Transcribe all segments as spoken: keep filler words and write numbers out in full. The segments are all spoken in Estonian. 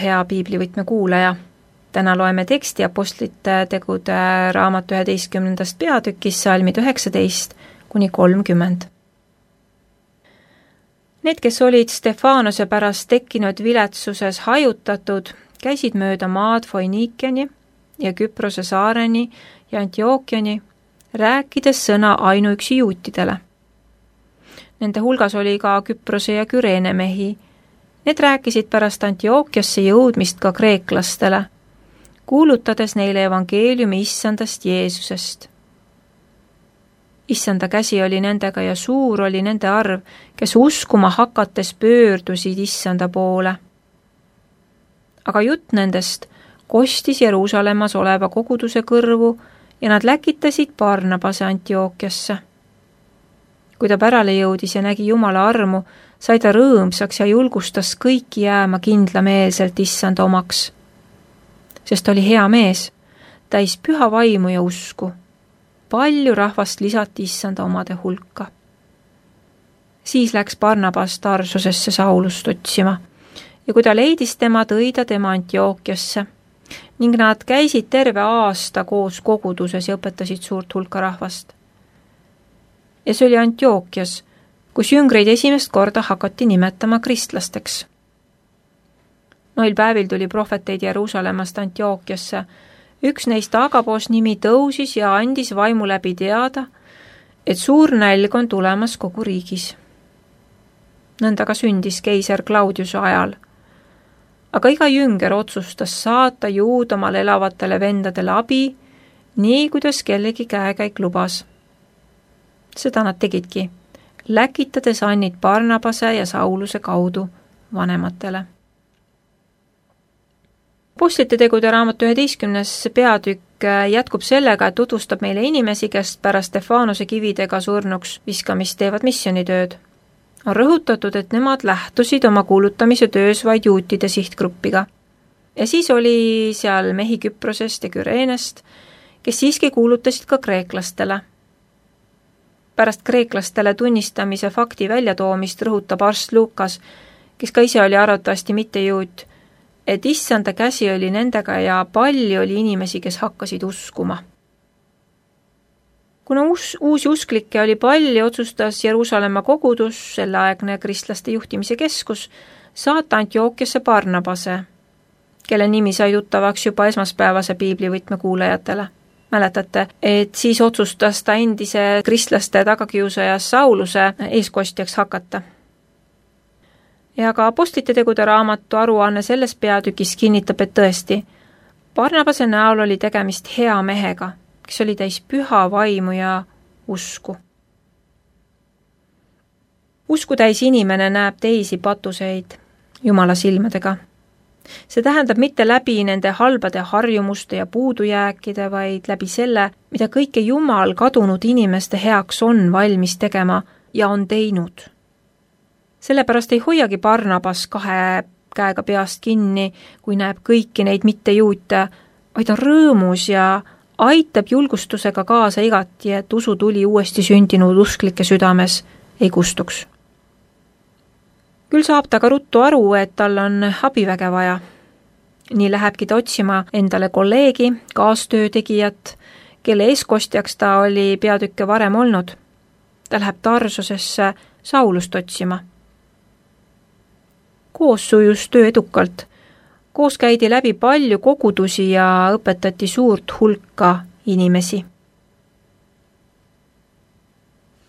Hea piiblivõtme kuulaja, täna loeme teksti Apostlite tegude raamatu üheteistkümnendast peatükis salmid üheksateist kuni kolmkümmend. Need, kes olid Stefanose pärast tekkinud viletsuses hajutatud, käisid mööda maad Foiniikiani ja Küprose saareni ja Antiookiani, rääkides sõna ainuüksi juutidele. Nende hulgas oli ka Küprose ja Küreene mehi. Need rääkisid pärast Antiookiasse jõudmist ka kreeklastele, kuulutades neile evangeeliumi issandast Jeesusest. Issanda käsi oli nendega ja suur oli nende arv, kes uskuma hakates pöördusid issanda poole. Aga jutt nendest kostis Jeruusalemmas oleva koguduse kõrvu ja nad läkitasid Barnabase Antiookiasse. Kui ta pärale jõudis ja nägi Jumala armu, sai ta rõõmsaks ja julgustas kõiki jääma kindlameelselt issanda omaks. Sest oli hea mees, täis püha vaimu ja usku. Palju rahvast lisati issanda omade hulka. Siis läks Barnabas Tarsusesse Saulust otsima ja kui ta leidis tema, tõi ta tema Antiookiasse ning nad käisid terve aasta koos koguduses ja õpetasid suurt hulka rahvast. Ja see oli Antiookias, kus jüngreid esimest korda hakati nimetama kristlasteks. Noil päevil tuli prohveteid Jeruusalemmast Antiookiasse. Üks neist Agabos nimi tõusis ja andis vaimu läbi teada, et suur nälg on tulemas kogu riigis. Nõnda ka sündis keiser Claudiuse ajal. Aga iga jünger otsustas saata Juudamaal elavatele vendadele abi, nii kuidas kellegi käekäik lubas. Seda nad tegidki, läkitades annid Barnabase ja Sauluse kaudu vanematele. Apostlite tegude raamatu üheteistkümnes peatükk jätkub sellega, et tutvustab meile inimesi, kes pärast Stefanose kividega surnuks viskamist teevad missioonitööd. On rõhutatud, et nemad lähtusid oma kuulutamise töös vaid juutide sihtgruppiga. Ja siis oli seal mehi Küprosest ja Küreenest, kes siiski kuulutasid ka kreeklastele. Pärast kreeklastele tunnistamise fakti väljatoomist rõhutab arst Lukas, kes ka ise oli arvatavasti mitte juut, et issanda käsi oli nendega ja palju oli inimesi, kes hakkasid uskuma. Kuna uus, uusi usklikke oli palju, otsustas Jeruusalemma kogudus, selleaegne kristlaste juhtimise keskus, saata Antiookiasse Barnabase, kelle nimi sai tuttavaks juba esmaspäevase piiblivõtme kuulajatele. Mäletate, et siis otsustas ta endise kristlaste tagakiusajas Sauluse eeskostjaks hakata. Ja ka Apostlite tegude raamatu aruanne selles peatükis kinnitab, et tõesti, Barnabase näol oli tegemist hea mehega, kes oli täis püha vaimu ja usku. Usku täis inimene näeb teisi patuseid Jumala silmadega. See tähendab mitte läbi nende halbade harjumuste ja puudujääkide, vaid läbi selle, mida kõike Jumal kadunud inimeste heaks on valmis tegema ja on teinud. Sellepärast ei hoiagi Barnabas kahe käega peast kinni, kui näeb kõiki neid mittejuute, vaid on rõõmus ja aitab julgustusega kaasa igati, et usu tuli uuesti sündinud usklike südames ei kustuks. Küll saab ta ka ruttu aru, et tal on abiväge vaja. Nii lähebki ta otsima endale kolleegi, kaastöötegijat, kelle eeskostjaks ta oli peatükke varem olnud. Ta läheb Tarsusesse Saulust otsima. Koos sujus töö edukalt. Koos käidi läbi palju kogudusi ja õpetati suurt hulka inimesi.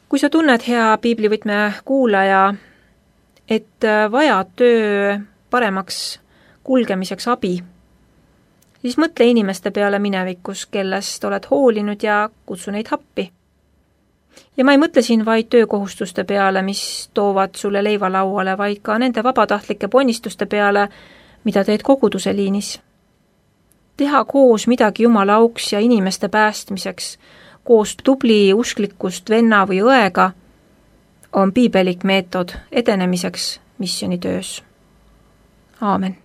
Kui sa tunned, hea piiblivõtme kuulaja, et vajad töö paremaks kulgemiseks abi, siis mõtle inimeste peale minevikus, kellest oled hoolinud ja kutsu neid happi. Ja ma ei mõtle siin vaid töökohustuste peale, mis toovad sulle leiva lauale, vaid ka nende vabatahtlike ponnistuste peale, mida teed koguduse liinis. Teha koos midagi Jumala auks ja inimeste päästmiseks, koos tubli usklikust venna või õega, on piibelik meetod edenemiseks missionitöös. Aamen.